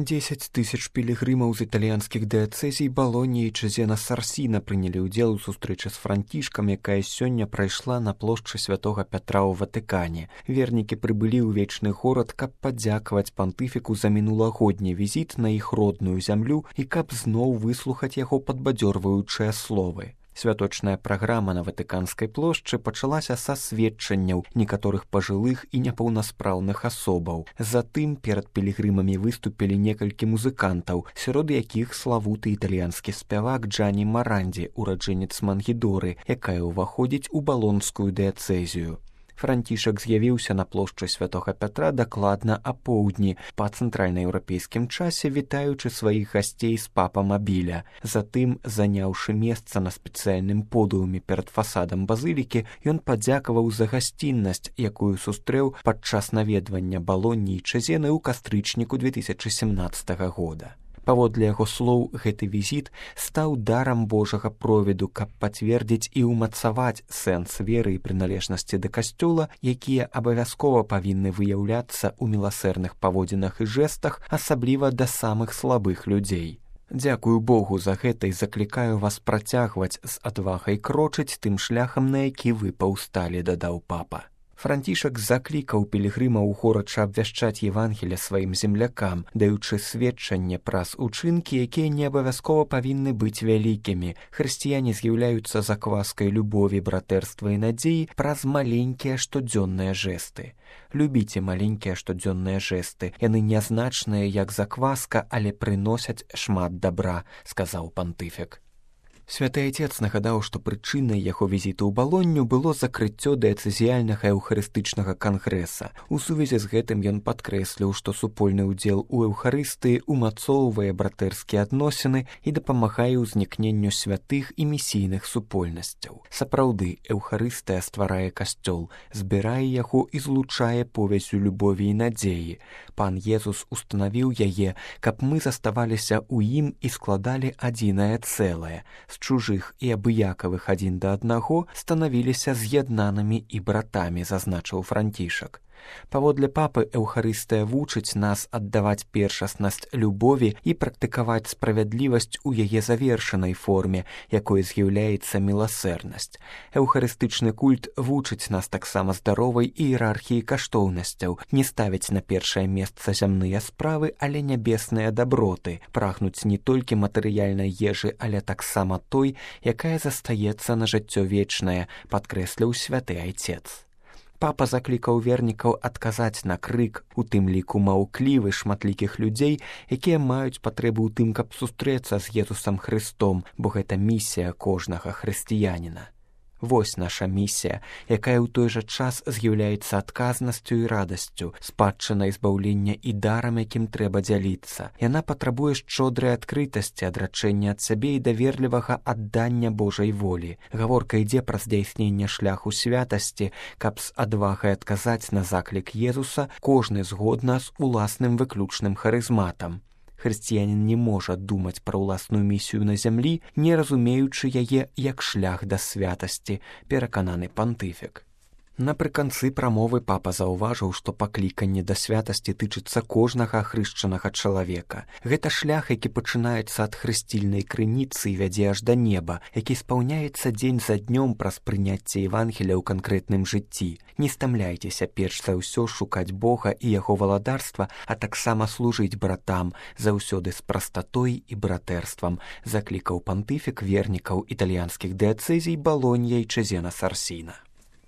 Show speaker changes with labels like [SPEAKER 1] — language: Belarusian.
[SPEAKER 1] 10 тысяч пілігрымаў з італьянскіх дыяцэзій Балоніі і Чэзена Сарсіна прынялі ўдзел у сустрэчы з Францішкам, якая сёння прайшла на плошчы святога Пятра ў Ватыкане. Вернікі прыбылі ў вечны горад, каб падзякаваць пантыфіку за мінулагодні візіт на іх родную зямлю і каб зноў выслухаць яго падбадзёрваючыя словы. Святочная праграма на Ватыканскай плошчы пачалася са сведчанняў некаторых пажылых і непаўнаспраўных асобаў. Затым перад пілігрымамі выступілі некалькі музыкантаў, сярод якіх славуты італьянскі спявак Джані Марандзі, ураджэнец Мангідоры, якая ўваходзіць у балонскую дыяцэзію. Францішак з'явіўся на плошчы святога Пятра дакладна апоўдні па цэнтральнаеўрапейскім часе, вітаючы сваіх гасцей з папа-мабіля. Затым, заняўшы месца на спецыяльным подыуме перад фасадам базылікі, ён падзякаваў за гасціннасць, якую сустрэў падчас наведвання Балоніі і Чэзены ў кастрычніку 2017 года. Паводле яго слоў, гэты візіт стаў дарам Божага провіду, каб пацвердзіць і ўмацаваць сэнс веры і прыналежнасці да касцёла, якія абавязкова павінны выяўляцца ў міласэрных паводзінах і жэстах, асабліва да самых слабых людзей. Дзякую Богу за гэта і заклікаю вас працягваць з адвагай крочыць тым шляхам, на які вы паўсталі, дадаў папа. Францішак заклікаў пілігрымаў горача абвяшчаць Евангелле сваім землякам, даючы сведчанне праз учынкі, якія не абавязкова павінны быць вялікімі. Хрысціяне з'яўляюцца закваскай любові, братэрства і надзеі праз маленькія штодзённыя жэсты. Любіце маленькія штодзённыя жэсты. Яны нязначныя, як закваска, але прыносяць шмат дабра, сказаў пантыфік. Святы Айцец нагадаў, што прычынай яго візіту ў Балонню было закрыццё дыяцэзіяльнага эўхарыстычнага кангрэса. У сувязі з гэтым ён падкрэсліў, што супольны ўдзел у эўхарыстыі умацоўвае братэрскія адносіны і дапамагае ўзнікненню святых і місійных супольнасцяў. Сапраўды, эўхарыстыя стварае касцёл, збірае яго і злучае повяззю любові і надзеі. Пан Езус устанавіў яе, каб мы заставаліся ў ім і складалі адзінае цэлае. Чужых і абыякавых адзін да аднаго станавіліся з'яднанымі і братамі, зазначыў Францішак. Паводле папы, эўхарыстыя вучыць нас аддаваць першаснасць любові і практыкаваць справядлівасць у яе завершанай форме, якой з'яўляецца міласэрнасць. Эўхарыстычны культ вучыць нас таксама здаровай іерархіі каштоўнасцяў, не ставіць на першае месца зямныя справы, але нябесныя даброты, прагнуць не толькі матэрыяльнай ежы, але таксама той, якая застаецца на жыццё вечнае, падкрэсліў святы Айцец. Папа заклікаў вернікаў адказаць на крык, у тым ліку маўклівы шматлікіх людзей, якія маюць патрэбу ў тым, каб сустрэцца з Езусам Хрыстом, бо гэта місія кожнага хрысціяніна. Вось наша місія, якая ў той жа час з'яўляецца адказнасцю і радасцю, спадчынай збаўлення і дарам, якім трэба дзяліцца. Яна патрабуе шчодрай адкрытасці, адрачэння ад сябе і даверлівага аддання Божай волі. Гаворка ідзе пра здзяйсненне шляху святасці, каб з адвагай адказаць на заклік Езуса, кожны згодна з уласным выключным харызматам. Хрысціянін не можа думаць пра ўласную місію на зямлі, не разумеючы яе як шлях да святасці, перакананы пантыфік. Напрыканцы прамовы папа заўважыў, што пакліканне да святасці тычыцца кожнага ахрышчанага чалавека. Гэта шлях, які пачынаецца ад хрысцільнай крыніцы і вядзе аж да неба, які спаўняецца дзень за днём праз прыняцце Евангеля ў канкрэтным жыцці. Не стамляйцеся перш за ўсё шукаць Бога і яго валадарства, а таксама служыць братам, заўсёды з прастатой і братэрствам, заклікаў пантыфік вернікаў італьянскіх дыяцэзій Балонья і Чэзена Сарсіна.